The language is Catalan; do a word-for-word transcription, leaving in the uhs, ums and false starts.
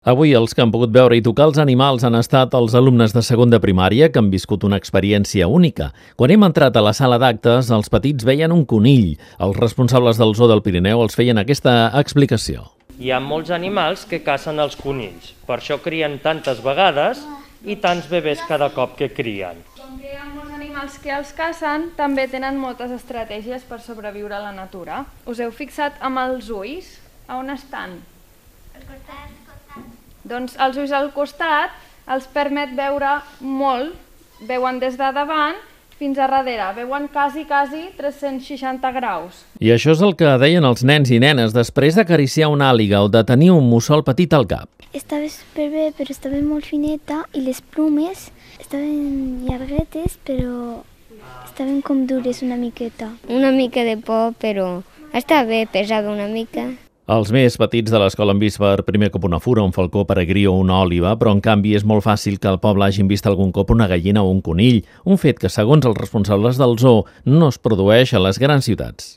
Avui els que han pogut veure i tocar els animals han estat els alumnes de segon de primària que han viscut una experiència única. Quan hem entrat a la sala d'actes, els petits veien un conill. Els responsables del Zoo del Pirineu els feien aquesta explicació. Hi ha molts animals que cacen els conills, per això crien tantes vegades i tants bebès cada cop que crien. Com que hi ha molts animals que els cacen, també tenen moltes estratègies per sobreviure a la natura. Us heu fixat amb els ulls? A on estan? Al costat. Doncs els ulls al costat els permet veure molt, veuen des de davant fins a darrere, veuen quasi, quasi tres-cents seixanta graus. I això és el que deien els nens i nenes després d'acariciar una àliga o de tenir un mussol petit al cap. Estava superbé, però estava molt fineta i les plomes estaven llarguetes, però estaven com dures una miqueta. Una mica de por, però està bé, pesava una mica. Els més petits de l'escola han vist per primer cop una fura, un falcó peregrí o una òliba, però en canvi és molt fàcil que al poble hagin vist algun cop una gallina o un conill, un fet que, segons els responsables del zoo, no es produeix a les grans ciutats.